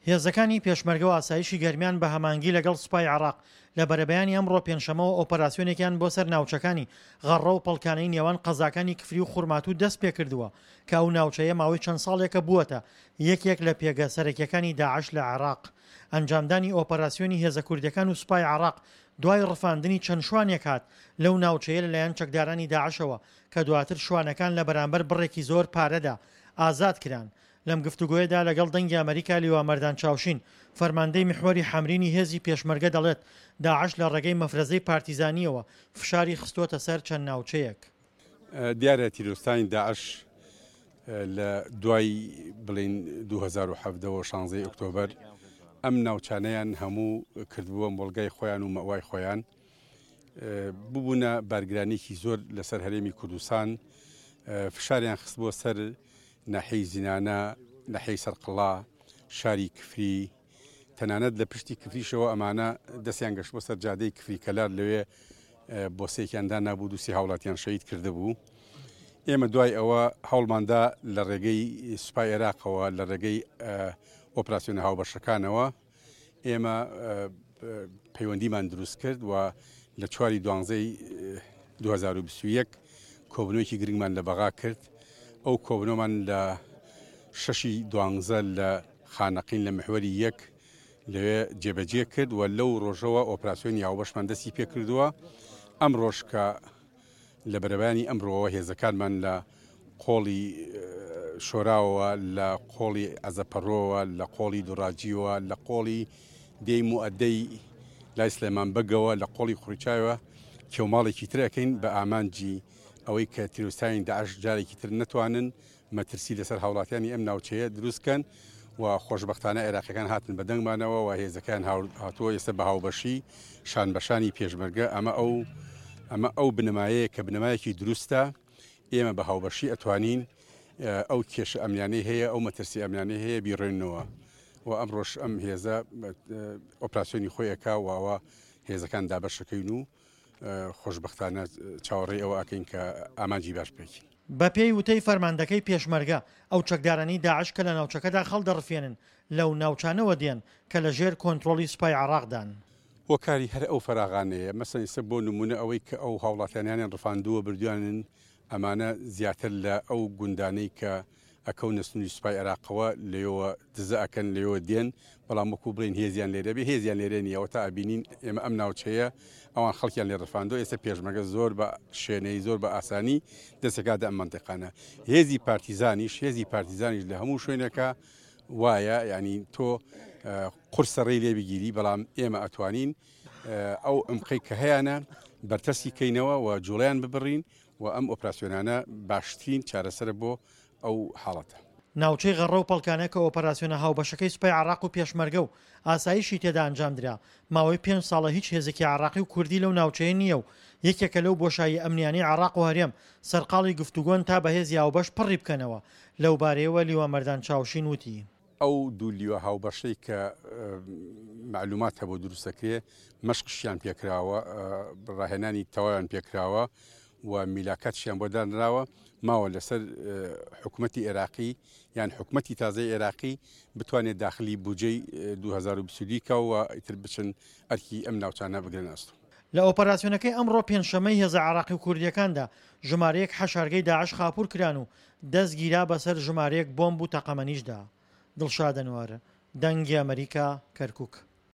هێزەکانی پێشمەرگە و ئاسایشی گەرمیان بە هەمانگی لەگەڵ سوپای عێراق لە بەرەبەیانی ئەمڕۆ پێنجشەممەوە ئۆپەراسیۆنێکیان بۆ سەر ناوچەکانی غەڕڕە و پەڵکانەی نێوان قەزاکانی کفری و خورماتوو دەستپێکردووە کە ئەو ناوچەیە ماوەی چەند ساڵێکە بووەتە یەکێک لە پێگە سەرەکیەکانی داعش لە عێراق. ئەنجامدانی ئۆپەراسیۆنی هێزە کوردیەکان و سوپای عێراق دوای ڕفاندنی چەند شوانێک هات لەو ناوچەیە لەلایەن چەکدارانی داعشەوە کە دواتر شوانەکان لە بەرامبەر بڕێکی زۆر پارەدا ئازاد کران. لەم گفتوگۆیەدا لەگەڵ دەنگی ئەمەریکا لیوا مەردان چاوشین، فەرماندەی میحوەری حەمرینی هێزی پێشمەرگە دەڵێت، داعش لە ڕێگەی مەفرەزەی پارتیزانییەوە فشاری خستۆتە سەر چەند ناوچەیەک. دیارە تیرۆستانی داعش لە دوای بڵێین 2017 و شانزەی ئۆکتۆبەر ئەم ناوچانەیان هەموو کردبووە مۆڵگای خۆیان و مەوای خۆیان ببوونە بارگرانێکی زۆر لەسەر هەرێمی کوردستان فشاریان خستبووە سەر ناحیەی زینانە، ناحیەی سەرقڵا، شاری کفری، تەنانەت لە پشتی کفریشەوە ئەمانە دەستیان گەشتبووە سەر جادەی کفری کەلار لەوێ بۆسەیەکیان دانابوو دووسی هاوڵاتیان شەهید کردبوو. ئێمە دوای ئەوە هەوڵماندا لە ڕێگەی سوپای عێراقەوە لە ڕێگەی ئۆپراسیۆنە هاوبەشەکانەوە ئێمە پەیوەندیمان دروست کرد و لە چواری دوانزەی 2021 کۆبنەوەیەکی گرنگمان لە بەغا کرد ئەو کۆبنەوەمان لە شەشی دوانزە لە خانەقین لە محوەری یەک لەوێ جێبەجێ کرد و لەو ڕۆژەوە ئۆپراسیۆنی هاوبەشمان دەستی پێکردووە ئەم ڕۆژ کە لە بەرەبەیانی ئەمڕۆوە هێزەکانمان لە قۆڵی شۆراوەوە، لە قۆڵی عەزەپەڕۆوە، لە قۆڵی دوڕاجیوە، لە قۆڵی دێی موئەدەی لای سلێمان بەگەوە، لە قۆڵی قوڕیچایەوە کێوماڵێکی تر ئەکەین بە ئامانجی ئەوەی کە تیرۆریستانی داعش جارێکی تر نەتوانن مەترسی لەسەر هاوڵاتیانی ئەم ناوچەیە دروست کەن و خۆشبەختانە عێراقیەکان هاتن بە دەنگمانەوە و هێزەکەیان هاتووە ئێستا بە هاوبەشی شان بەشانی پێشمەرگە ئەمە ئەو ئەمە ئەو بنەمایەیە کە بنەمایەکی دروستە ئێمە بە هاوبەشی ئەتوانین ئەو کێشە ئەمنیانەی هەیە ئەو مەترسی ئەمنیانەی هەیە بیڕێنەوە و ئەمڕۆش ئەم هێزە ئۆپراسیۆنی خۆی ئەکا و ئەوە هێزەکان دابەشەکەین و خۆشبەختانە چاوەڕێی ئەوە ئەکەین کە ئامانجی باش بپێکین. بەپێی وتەی فەرماندەکەی پێشمەرگە، ئەو چەکدارانەی داعش کە لە ناوچەکەدا خەڵدەڕفێنن، لەو ناوچانەوە دێن کە لە ژێر کۆنترۆڵی سوپای عێراقدان. هۆکاری هەر ئەو فەراغانەیە، مەسەن ئیستا بۆ نموونە ئەوەی کە ئەو هاوڵاتیانیانیان ڕفاندووە بردویانن ئەمانە زیاتر لە ئەو گوندانەی کە ئەکەونە سنوری سوپای عێراقەوە لەوێوە دزە ئەکەن لەوێوە دێن بەڵام وەکو بڵێین هێزیان لێرە بێ هێزیان لێرە نییە ئەوەتا ئەبینین ئێمە ئەم ناوچەیە ئەوان خەڵکیان لێ ڕفاندووە ئێستا پێشمەرگە زۆر بە شێنەی زۆر بە ئاسانی دەستەکاتە ئەم مەنتیقانە هێزی پارتیزانیش هێزی پارتیزانیش لە هەموو شوێنێکە وایە یعنی تۆ قورسە ڕێی لێ بگیری بەڵام ئێمە ئەتوانین ئەو عمقەی کە هەیانە بەرتەسکی کەینەوە و جوڵەیان ببڕین و ئەم ئۆپراسیۆنانە باشترین چارەسەرە بۆ ئەو حاڵەتە. ناوچەی غەڕە و پەڵکانە کە ئۆپەراسیۆنە هاوبەشەکەی سوپای عێراق و پێشمەرگە و ئاسایشی تێدا ئەنجامدرا، ماوەی پێنج ساڵە هیچ هێزێکی عێراقی و کوردی لەو ناوچەیە نییە و یەکێکە لەو بۆشاییە ئەمنیانەی عێراق و هەرێم سەرقاڵی گفتوگۆن تا بە هێزی هاوبەش پڕی بکەنەوە، لەوبارەیەوە لیوا مەردان چاوشین وتی. ئەو دوو لیوا هاوبەشەی کە مەعلومات هەبوو دروست دەکرێ مەشقشیان پێکراوە ڕاهێنانی تەواویان پێکراوە و میلاکاتشیان بۆ دانراوە ماوە لەسەر حکوومەتی عێراقی یان حکوومەتی تازەی عێراقی بتوانێت داخلی بودجەی 2022 کا و ئیتر بچن ئەرکی ئەم ناوچانە بگرن ئەستۆ. لە ئۆپەراسیۆنەکەی ئەمڕۆ پێنجشەممەی هێزە عێراقی و کوردییەکاندا ژمارەیەک حەشارگەی داعش خاپوور کران و دەست گیرا بەسەر ژمارەیەک بۆمب و تەقەمەنیشدا. دڵشاد ئەنوەر، دەنگی ئەمەریکا، کەرکوک.